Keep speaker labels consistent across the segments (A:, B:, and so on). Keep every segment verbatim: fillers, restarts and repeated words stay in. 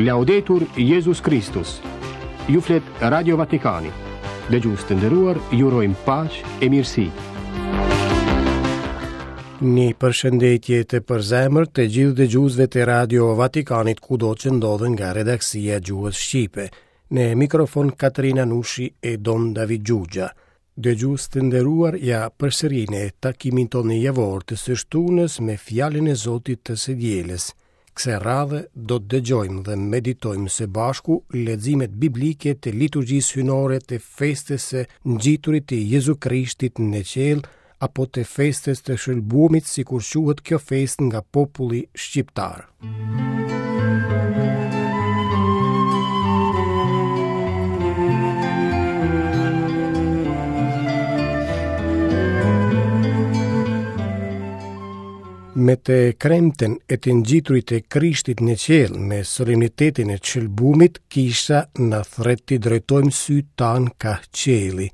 A: Laudetur Jezus Kristus. Ju flet Radio Vatikani. Dëgjues të nderuar, ju urojmë paqe e mirësi.
B: Një përshëndetje të përzemërt të gjithë dëgjuesve të Radio Vatikanit kudo që ndodhen nga redaksia e gjuhës shqipe. Në mikrofon Katerina Nushi e Don David Xhuxha. Dëgjues të nderuar, ja përsëri në takimin tonë javor të së shtunës me fjalën e Zotit të së dielës. Kësaj radhe do të dëgjojmë dhe meditojmë së bashku leximet biblike të liturgjisë hyjnore të festës së ngjiturit të Jezu Krishtit në qiell apo të festës të shëlbumit, sikur quhet kjo festë nga populli shqiptar. Me të kremten e të ngjiturit të Krishtit në qiell, me solemnitetin e shëlbumit, kisha na thret t'i drejtojmë sytë tanë ka qielli,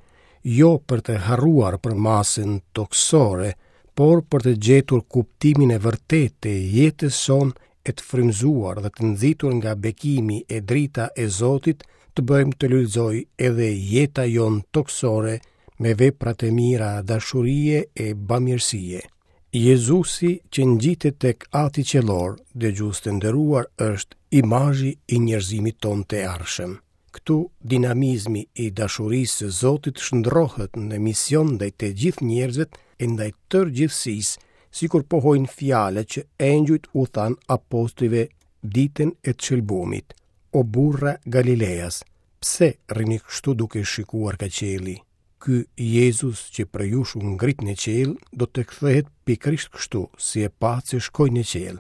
B: jo për të harruar për masën tokësore, por për të gjetur kuptimin e vërtetë të jetës sonë e të frymëzuar dhe të nxitur nga bekimi e drita e Zotit, të bëjmë të lulëzojë edhe jeta jonë tokësore me veprat e mira dashurie e bamirësie. Jezusi që ngjitet tek Ati Qiellor, dëgjues të nderuar, është imazhi i njerëzimit tonë të ardhshëm. Këtu dinamizmi i dashurisë së Zotit shndrohet në mision ndaj të gjithë njerëzve e ndaj tërë gjithësisë, sikur pohojnë fjalët që engjujt u thanë apostujve ditën e të shëlbumit. O burra Galileas, pse rrini kështu duke shikuar ka qielli? Ky Jezus që prej jush u ngrit në qiell, do të kthehet pikërisht kështu, si e patë se shkoi në qiell.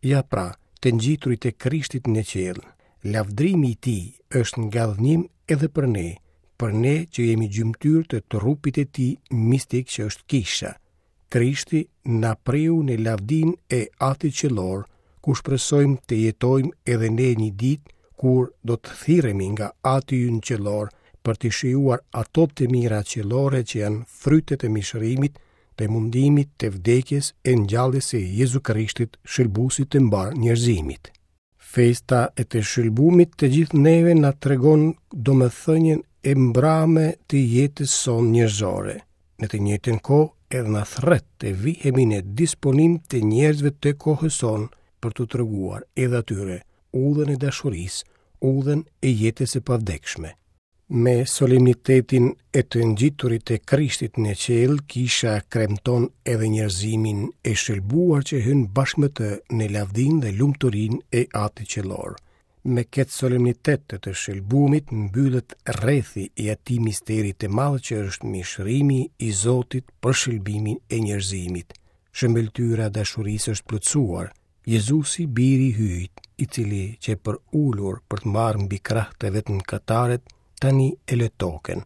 B: Ja pra, të ngjiturit e Krishtit në qiell, lavdrimi i tij është ngadhënjim edhe për ne, për ne që jemi gjymtyrë të trupit e tij mistik që është kisha. Krishti na preu në lavdin e Atit Qiellor, ku shpresojmë të jetojmë edhe ne një ditë kur do të thirremi nga Ati ynë Qiellor për të shijuar ato të mira qiellore që janë frytet e mishërimit, të mundimit, të vdekjes e ngjalljes së Jezu Krishtit, shëlbuesit të mbar njerëzimit. Festa e të shëlbumit të gjithë neve na tregon domethënien e mbrame të jetës sonë njerëzore. Në të njëjtën kohë edhe na thret të vihemi në disponim të njerëzve të kohës sonë për t'u treguar edhe atyre udhën e dashurisë, udhën e jetës së pavdekshme. Me solemnitetin e të ngjiturit të Krishtit në qiell, kisha kremton edhe njerëzimin e shëlbuar që hyn bashkë me të në lavdinë dhe lumturinë e Atit Qiellor. Me këtë solemnitet të të shëlbumit mbyllet rrethi i atij misteri të madh që është mishërimi i Zotit për shëlbimin e njerëzimit. Shëmbëlltyra e dashurisë është plotësuar. Jezusi, biri i Hyjit, i cili që për ulur për të marrë mbi krah të vetëm kataret, tani e lë tokën.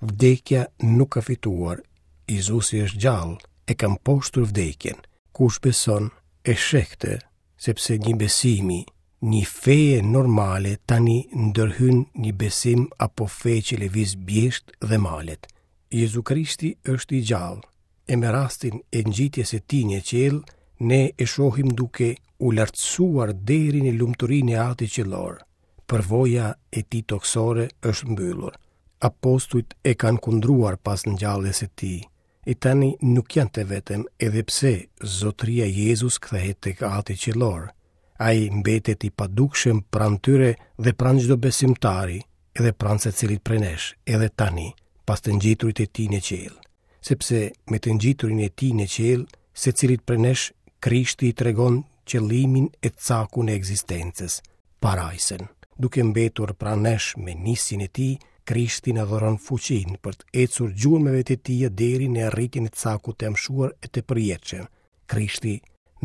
B: Vdekja nuk ka fituar. Jezusi është gjallë, e ka mposhtur vdekjen. Kush beson e sheh këtë, sepse një besimi, një feje normale tani ndërhyn një besim apo fe që lëviz bjesht dhe malet. Jezu Krishti është i gjallë, e me rastin e ngjitjes së tij në qiell, ne e shohim duke u lartësuar deri në lumturinë e Atit Qiellor. Përvoja e tij tokësore është mbyllur. Apostujt e kanë kundruar pas ngjalljes së tij. E tani nuk janë të vetëm, edhe pse Zotëria Jezus kthehet tek Ati Qiellor. Ai mbetet i padukshëm pranë tyre dhe pranë çdo besimtari, edhe pranë secilit prej nesh, edhe tani, pas të ngjiturit e tij në qiell. Sepse me të ngjiturin e tij në qiell, secilit prej nesh Krishti i tregon qëllimin e cakun e ekzistencës, parajsën. Duke mbetur pranë nesh me nisjen e tij, Krishti na dhuron fuqinë për të ecur gjurmëve të tij deri në arritjen e cakut të amshuar e të përjetshëm. Krishti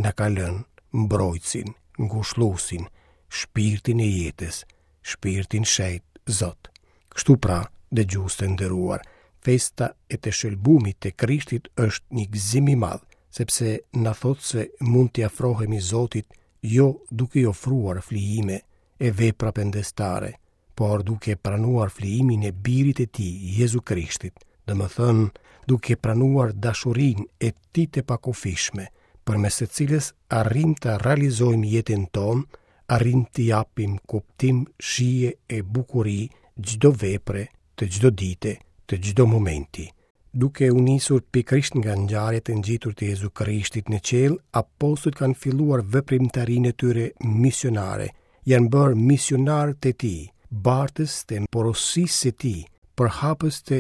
B: na ka lënë mbrojtësin, ngushëlluesin, shpirtin e jetës, shpirtin shenjt Zot. Kështu pra, dëgjues të nderuar, festa e të shëlbumit të Krishtit është një gëzim i madh, sepse na thotë se mund t'i afrohemi Zotit jo duke i ofruar flijime e vepra pendestare, por duke pranuar flijimin e birit e tij, Jezu Krishtit, domethënë duke pranuar dashurinë e tij të pakufishme, përmes së cilës arrim të realizojmë jetën tonë, arrijmë t'i japim kuptim, shije e bukuri çdo vepre, të çdo dite, të çdo momenti. Duke u nisur pikërisht nga ngjarjet e ngjiturit të Jezu Krishtit në qiell, apostujt kanë filluar veprimtarinë e tyre misionare, janë bërë misionarë të tij, bartës të porosisë së tij, përhapës të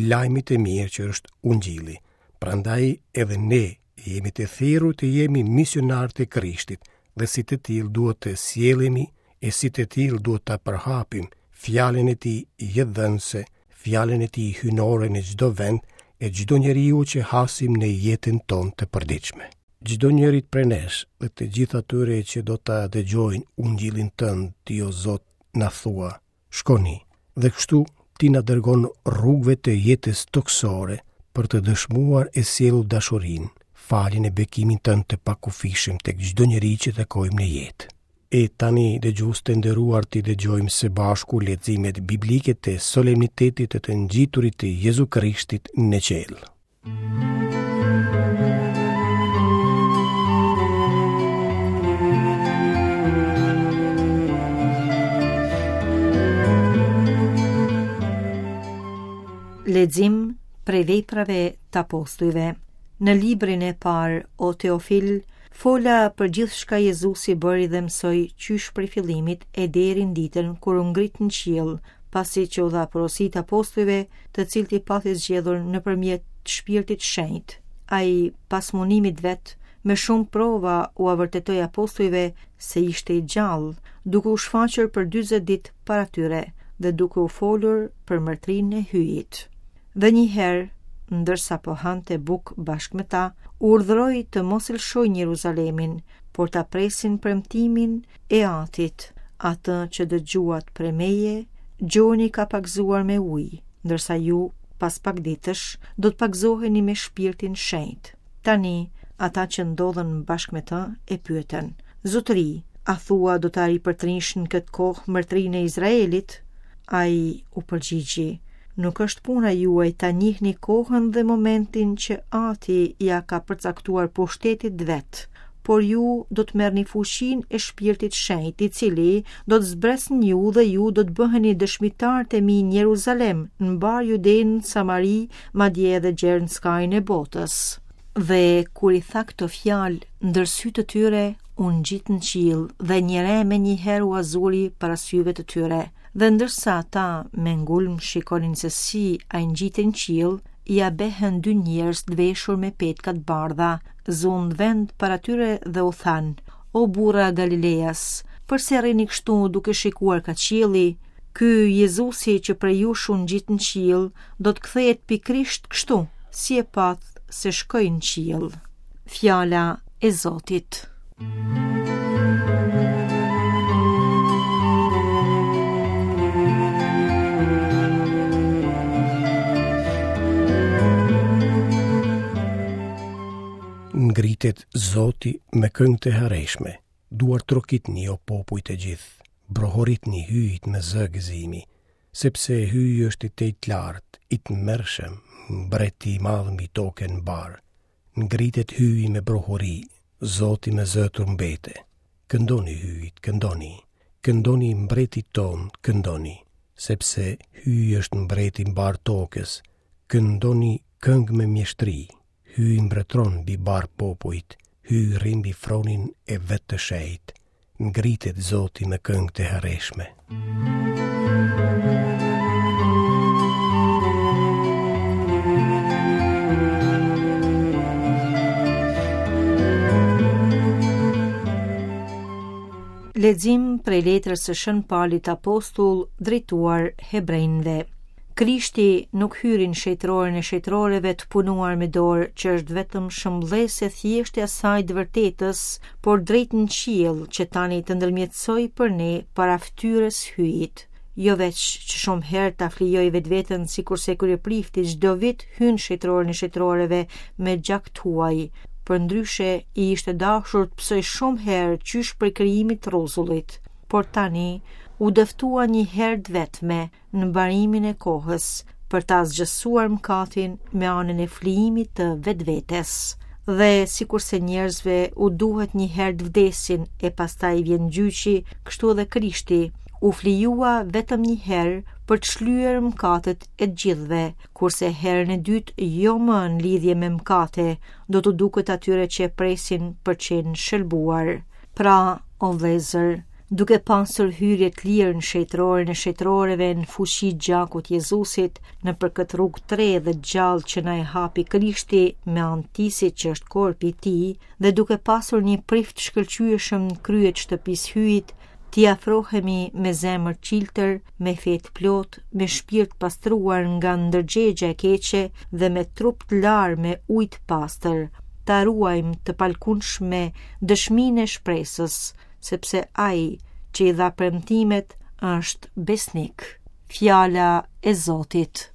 B: lajmit të mirë që është Ungjilli. Prandaj edhe ne jemi të thirrur të jemi misionarë të Krishtit dhe si të tillë duhet të sjellemi e si të tillë duhet ta përhapim fjalën e tij jetëdhënëse, fjalën e tij hyjnore në çdo vend e çdo njeriu që hasim në jetën tonë të përditshme. Çdo njërit prej nesh dhe të gjithë atyre që do ta dëgjojnë Ungjillin tënd, ti o Zot, na thua, shkoni. Dhe kështu ti na dërgon rrugëve të jetës tokësore për të dëshmuar e sjellur dashurinë, faljen e bekimin tënd të pakufishëm tek çdo njeri që takojmë në jetë. E tani, dëgjues të nderuar, t'i dëgjojmë së bashku leximet biblike të solemnitetit të të ngjiturit të Jezu Krishtit në qiell.
C: Lexim prej veprave të apostujve. Në librin e parë, o Teofil, fola për gjithçka Jezusi bëri dhe mësoi qysh prej fillimit e deri në ditën kur u ngrit në qiell, pasi që u dha porosit apostujve, të cilët i pati zgjedhur nëpërmjet Shpirtit Shenjt. Ai, pas mundimit vet, me shumë prova ua vërtetoi apostujve se ishte i gjallë, duke u shfaqur për dyzet ditë para tyre dhe duke u folur për mbretërinë e Hyjit. Dhe një herë, ndërsa po hante bukë bashkë me ta, urdhëroi të mos lëshojnë Jeruzalemin, por ta presin premtimin e Atit, atë që dëgjuat prej meje, Gjoni ka pagëzuar me ujë, ndërsa ju, pas pak ditësh, do të pagëzoheni me Shpirtin Shenjt. Tani, ata që ndodhen bashkë me të e pyetën: Zotëri, a thua do ta ripërtrinsh në këtë kohë mbretërinë e Izraelit? Ai u përgjigji: Nuk është puna juaj ta njihni kohën dhe momentin që Ati ja ka përcaktuar pushtetit vet, por ju do të merrni fuqinë e Shpirtit Shenjt, i cili do të zbresë në ju dhe ju do të bëheni dëshmitarët e mi në Jeruzalem, në mbar Judenë, Samari, madje edhe gjer në skajin e botës. Dhe kur i tha këto fjalë, ndër sy të tyre u ngjit në qiell dhe një re menjëherë u azuri para syve të tyre. Dhe ndërsa ata me ngulm shikonin se si ai ngjitej në qiell, ia behën dy njerëz të veshur me petka të bardha, zunë vend para tyre dhe u thanë: O burra Galileas, përse rrini kështu duke shikuar ka qielli? Ky Jezusi që prej jush u ngjit në qiell, do të kthehet pikërisht kështu, si e pat se shkoi në qiell. Fjala e Zotit.
B: Ngritet Zoti me këngë të hareshme, duartrokitni o popuj të gjithë, brohoritni Hyjit me zë gëzimi, sepse Hyji është i tejtlartë, i tmerrshëm, mbreti i madh mbi tokën mbar. Ngritet Hyji me brohori, Zoti me zë trumbete. Këndoni Hyjit, këndoni, këndoni mbretit ton, këndoni, sepse Hyji është mbreti mbar tokës, këndoni këngë me mjeshtri. Hyji mbretëron mbi bar popujt, Hyji rri mbi fronin e vetë të shenjtë. Ngritet Zoti me këngë të hareshme.
C: Lexim prej letrës së Shën Palit Apostull drejtuar hebrejve. Krishti nuk hyri në shenjtëroren e shenjtëroreve të punuar me dorë, që është vetëm shëmbëllesë e thjeshtë e asaj të vërtetës, por drejt në qiell që tani të ndërmjetësoj për ne para fytyrës Hyjit. Jo veç që shumë herë ta flijoj vetveten sikurse kryeprifti çdo vit hyn shenjtëroren e shenjtëroreve me gjak tuaj, përndryshe i ishte dashur të psoj shumë herë qysh prej krijimit të rruzullit, por tani u dëftua një herë të vetme në mbarimin e kohës për ta asgjësuar mëkatin me anën e flijimit të vetvetes. Dhe sikurse njerëzve u duhet një herë të vdesin e pastaj vjen gjyqi, kështu edhe Krishti u flijua vetëm një herë për të shlyer mëkatet e të gjithëve, kurse herën e dytë jo më në lidhje me mëkate, do t'u duket atyre që e presin për qenë shëlbuar. Pra, o vëllezër, duke pasur hyrje të lirë në shenjtëroren e shenjtëroreve në fuqi gjakut Jezusit, nëpër këtë rrugë të re dhe gjallë që na e hapi Krishti me anë të që është korpi i tij, dhe duke pasur një prift shkëlqyeshëm në krye të shtëpisë Hyjit, t'i afrohemi me zemër çiltër, me fe të plot, me shpirt pastruar nga ndërgjegja e keqe dhe me trup të larë me ujë të pastër. Ta ruajmë të palkundshme dëshminë e shpresës, sepse ai që i dha premtimet është besnik. Fjala e Zotit.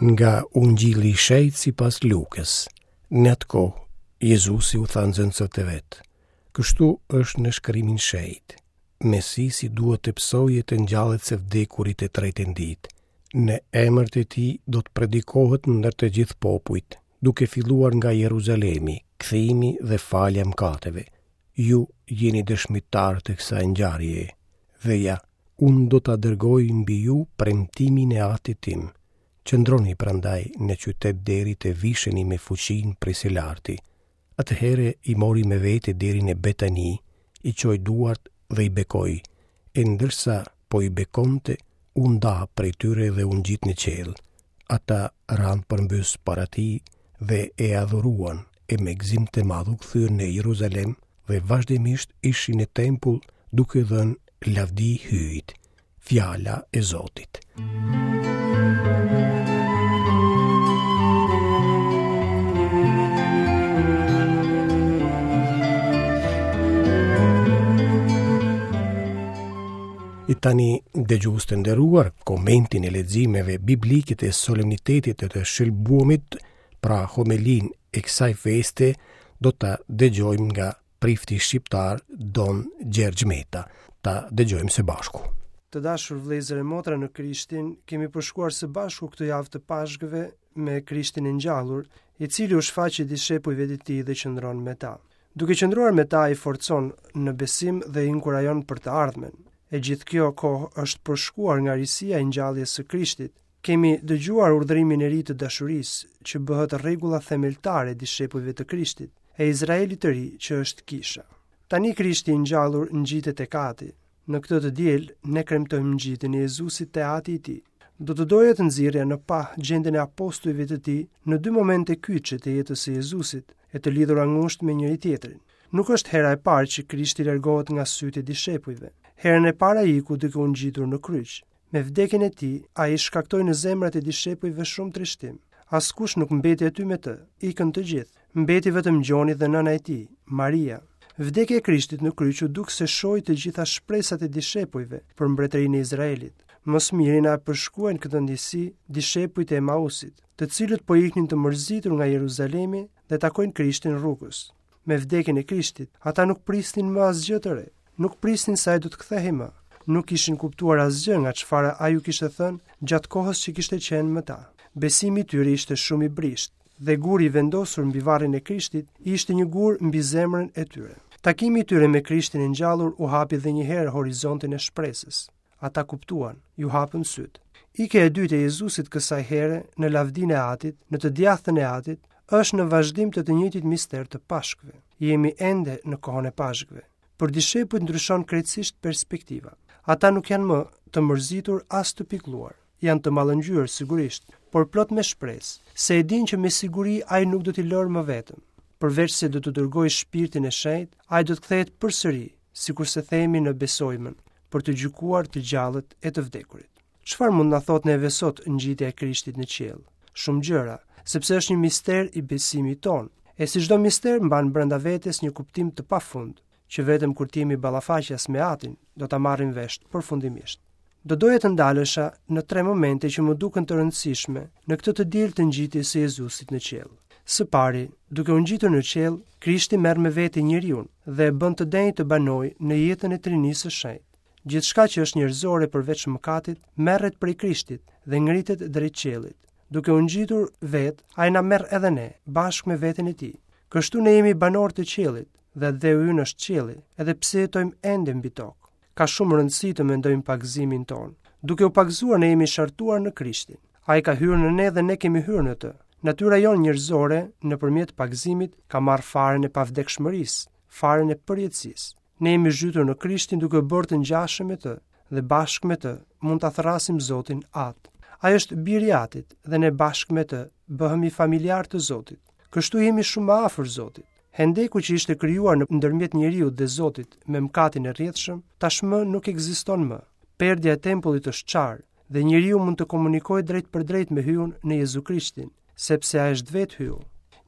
B: Nga Ungjilli i Shenjtë sipas Lukës. Në atë kohë, Jezusi u tha nxënësve të vet: Kështu është në shkrimin shenjt. Mesisi duhet të pësojë të ngjallet së vdekurit të tretën ditë. Në emër të tij do të predikohet ndër të gjithë popujt, duke filluar nga Jeruzalemi, kthimi dhe falja mëkateve. Ju jeni dëshmitar të kësaj ngjarjeje. Dhe ja, unë do ta dërgoj mbi ju premtimin e Atit tim. Qëndroni prandaj në qytet deri të visheni me fuqinë prej së larti. Atëherë i mori me vete deri në Betani, i çoi duart dhe i bekoi, e ndërsa po i bekonte, u nda prej tyre dhe u ngjit në qiell. Ata ranë përmbys para tij dhe e adhuruan, e me gëzim të madh u kthyen në Jeruzalem dhe vazhdimisht ishin në tempull duke dhënë lavdi Hyjit. Fjala e Zotit. E tani, dëgjues të nderuar, komentin e leximeve biblike të solemnitetit të të shëlbuamit, pra homelinë e kësaj feste, do ta dëgjojmë nga prifti shqiptar Don Gjergj Meta. Ta dëgjojmë së bashku.
D: Të dashur vëllezër e motra në Krishtin, kemi përshkuar së bashku këtë javë të Pashkëve me Krishtin e ngjallur, i cili u shfaqi dishepujve të tij dhe qëndron me ta. Duke qëndruar me ta, i forcon në besim dhe i inkurajon për të ardhmen. E gjithë kjo kohë është përshkuar nga risia e ngjalljes së Krishtit. Kemi dëgjuar urdhërimin e ri të dashurisë, që bëhet rregulla themeltare e dishepujve të Krishtit, e Izraelit të ri, që është kisha. Tani Krishti i ngjallur ngjitet tek Ati. Në këtë të diel, ne kremtojmë ngjitjen e Jezusit te Ati i tij. Do të doja të nxirrja në pah gjendjen e apostujve të tij në dy momente kyçe të jetës së Jezusit, e të lidhura ngushtë me njëri tjetrin. Nuk është hera e parë që Krishti largohet nga sytë e dishepujve. Herën e parë ai iku duke u ngjitur në kryq. Me vdekjen e tij, ai shkaktoi në zemrat e dishepujve shumë trishtim. Askush nuk mbeti aty me të, ikën të gjithë. Mbeti vetëm Gjoni dhe nëna e tij, Maria. Vdekja e Krishtit në kryq u duk se shoi të gjitha shpresat e dishepujve për mbretërinë e Izraelit. Më së miri na e përshkruajnë këtë ndjesi dishepujt e Emausit, të cilët po iknin të mërzitur nga Jeruzalemi dhe takojnë Krishtin rrugës. Me vdekjen e Krishtit, ata nuk prisnin më asgjë të re. Nuk prisnin se ai do të kthehej më. Nuk kishin kuptuar asgjë nga çfarë ai u kishte thënë gjatë kohës që kishte qenë me ta. Besimi i tyre ishte shumë i brishtë dhe guri i vendosur mbi varrin e Krishtit ishte një gur mbi zemrën e tyre. Takimi i tyre me Krishtin e ngjallur u hapi edhe një herë horizontin e shpresës. Ata kuptuan, ju hapën sytë. Ikja e dytë e Jezusit kësaj here në lavdinë e Atit, në të djathtën e Atit, është në vazhdim të të njëjtit mister të Pashkëve. Jemi ende në kohën e Pashkëve. Për dishepujt ndryshon krejtësisht perspektiva. Ata nuk janë më të mërzitur as të pikëlluar. Janë të mallëngjyer sigurisht, por plot me shpresë, se e dinë që me siguri ai nuk do t'i lërë më vetëm. Përveç se do të dërgojë shpirtin e shenjtë, ai do të kthehet përsëri, sikurse themi në Besojmën, për të gjykuar të gjallët e të vdekurit. Çfarë mund na thotë neve sot ngjitja e Krishtit në qiell? Shumë gjëra, sepse është një mister i besimit tonë. E si çdo mister mban brenda vetes një kuptim të pafund, që vetëm kur të jemi ballafaqas me Atin, do ta marrim vesh përfundimisht. Do doja të ndalesha në tre momente që më duken të rëndësishme në këtë të diel të ngjitjes së Jezusit në qiell. Së pari, duke u ngjitur në qiell, Krishti merr me vete njeriun dhe e bën të denjë të banojë në jetën e Trinisë së Shenjtë. Gjithçka që është njerëzore përveç mëkatit, merret prej Krishtit dhe ngritet drejt qiellit. Duke u ngjitur vetë, ai na merr edhe ne, bashkë me veten e tij. Kështu ne jemi banorë të qiellit dhe atdheu ynë është qielli, edhe pse jetojmë ende mbi tokë. Ka shumë rëndësi të mendojmë pagëzimin tonë. Duke u pagëzuar ne jemi shartuar në Krishtin. Ai ka hyrë në ne dhe ne kemi hyrë në të. Natyra jonë njerëzore, nëpërmjet pagëzimit, ka marrë farën e pavdekshmërisë, farën e përjetësisë. Ne jemi zhytur në Krishtin duke u bërë të ngjashëm me të dhe bashkë me të mund ta thërrasim Zotin At. Ai është biri i Atit dhe ne bashkë me të bëhemi familjar të Zotit. Kështu jemi shumë më afër Zotit. Hendeku që ishte krijuar në ndërmjet njeriut dhe Zotit me mëkatin e rrjedhshëm, tashmë nuk ekziston më. Perdja e tempullit është çarë dhe njeriu mund të komunikojë drejt për drejt me Hyun në Jezu Krishtin, sepse ai është vetë Hyu.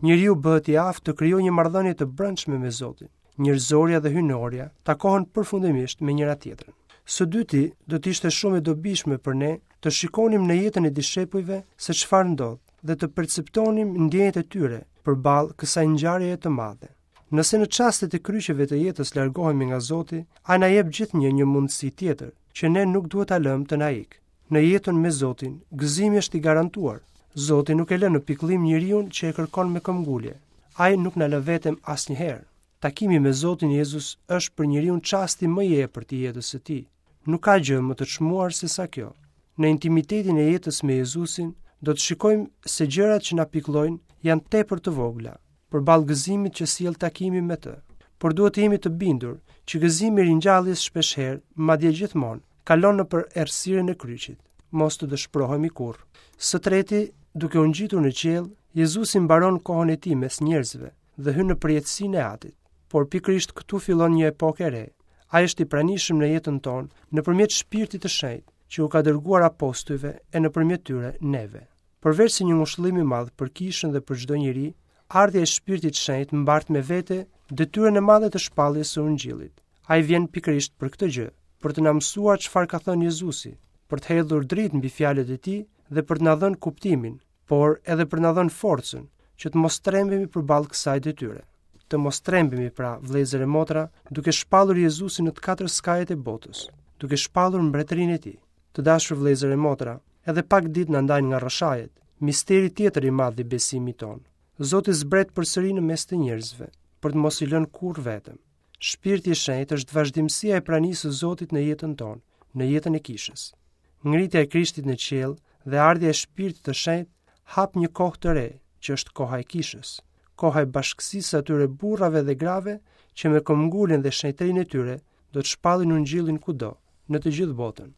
D: Njeriu bëhet i aftë të krijojë një marrëdhënie të brendshme me Zotin. Njerëzorja dhe hyjnorja takohen përfundimisht me njëra tjetrën. Së dyti, do të ishte shumë e dobishme për ne të shikonim në jetën e dishepujve se çfarë ndodh dhe të perceptonim ndjenjat e tyre përballë kësaj ngjarjeje të madhe. Nëse në çastet e kryqeve të jetës largohemi nga Zoti, ai na jep gjithnjë një mundësi tjetër, që ne nuk duhet ta lëmë të na ikë. Në jetën me Zotin, gëzimi është i garantuar. Zoti nuk e lë në pikëllim njeriun që e kërkon me këmbgulje. Ai nuk na lë vetëm asnjëherë. Takimi me Zotin Jezus është për njeriun çasti më i epërt i jetës së tij. Nuk ka gjë më të çmuar se sa kjo. Në intimitetin e jetës me Jezusin, do të shikojmë se gjërat që na pikëllojnë janë tepër të vogla, përballë gëzimit që sjell takimi me të. Por duhet të jemi të bindur që gëzimi i ringjalljes shpeshherë, madje gjithmonë, kalon nëpër errësirën e kryqit. Mos të dëshpërohemi kurrë. Së treti, duke u ngjitur në qiell, Jezusi mbaron kohën e tij mes njerëzve dhe hyn në përjetësinë e Atit. Por pikërisht këtu fillon një epokë e re. Ai është i pranishëm në jetën tonë nëpërmjet Shpirtit të Shenjtë, që u ka dërguar apostujve e nëpërmjet tyre neve. Përveç se një ngushëllim i madh për kishën dhe për çdo njeri, ardhja e Shpirtit të Shenjtë mbart me vete detyrën e madhe të shpalljes së Ungjillit. Ai vjen pikërisht për këtë gjë, për të na mësuar çfarë ka thënë Jezusi, për të hedhur dritë mbi fjalët e tij dhe për të na dhënë kuptimin, por edhe për të na dhënë forcën që të mos trembemi përballë kësaj detyre. Të mos trembemi pra, vëllezër e motra, duke shpallur Jezusin në të katër skajet e botës, duke shpallur mbretërinë e tij. Të dashur vëllezër e motra, edhe pak ditë na ndajnë nga rrëshajet, misteri tjetër i madh i besimit tonë. Zoti zbret përsëri në mes të njerëzve, për të mos i lënë kurrë vetëm. Shpirti i Shenjtë është vazhdimësia e pranisë së Zotit në jetën tonë, në jetën e kishës. Ngritja e Krishtit në qiell dhe ardhja e Shpirtit të Shenjtë hap një kohë të re, që është koha e kishës, koha e bashkësisë së atyre burrave dhe grave që me këmbguljen dhe shenjtërinë e tyre do të shpallin ungjillin kudo, në të gjithë botën.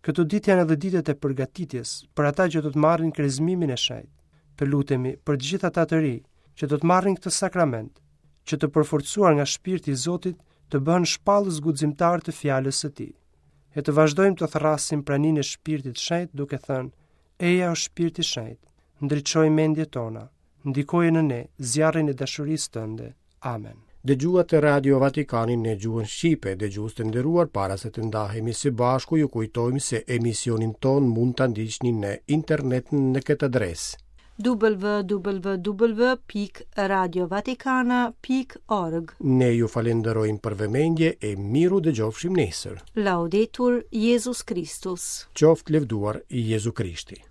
D: Këto ditë janë edhe ditët e përgatitjes për ata që do të marrin krezmimin e shenjtë. Të lutemi për të gjithë ata të ri që do të marrin këtë sakrament, që të përforcuar nga shpirti i Zotit të bëhen shpallës guximtar të fjalës së tij. E të vazhdojmë të thërrasim praninë e Shpirtit të Shenjtë duke thënë: Eja o Shpirt i Shenjtë, ndriçoj mendjet tona, ndikoje në ne zjarrin e dashurisë tënde. Amen.
B: Dëgjuat Radio Vatikanin në gjuhën shqipe, dëgjues të nderuar, para se të ndahemi së bashku, ju kujtojmë se emisionin ton mund ta ndiqni në internet në këtë adresë
C: w w w pikë radiovatikana pikë org.
B: Ne ju falenderojmë për vëmendje e miru dëgjofshim nesër.
C: Laudetur Jezus Christus.
B: Qoftë lëvduar Jezu Krishti.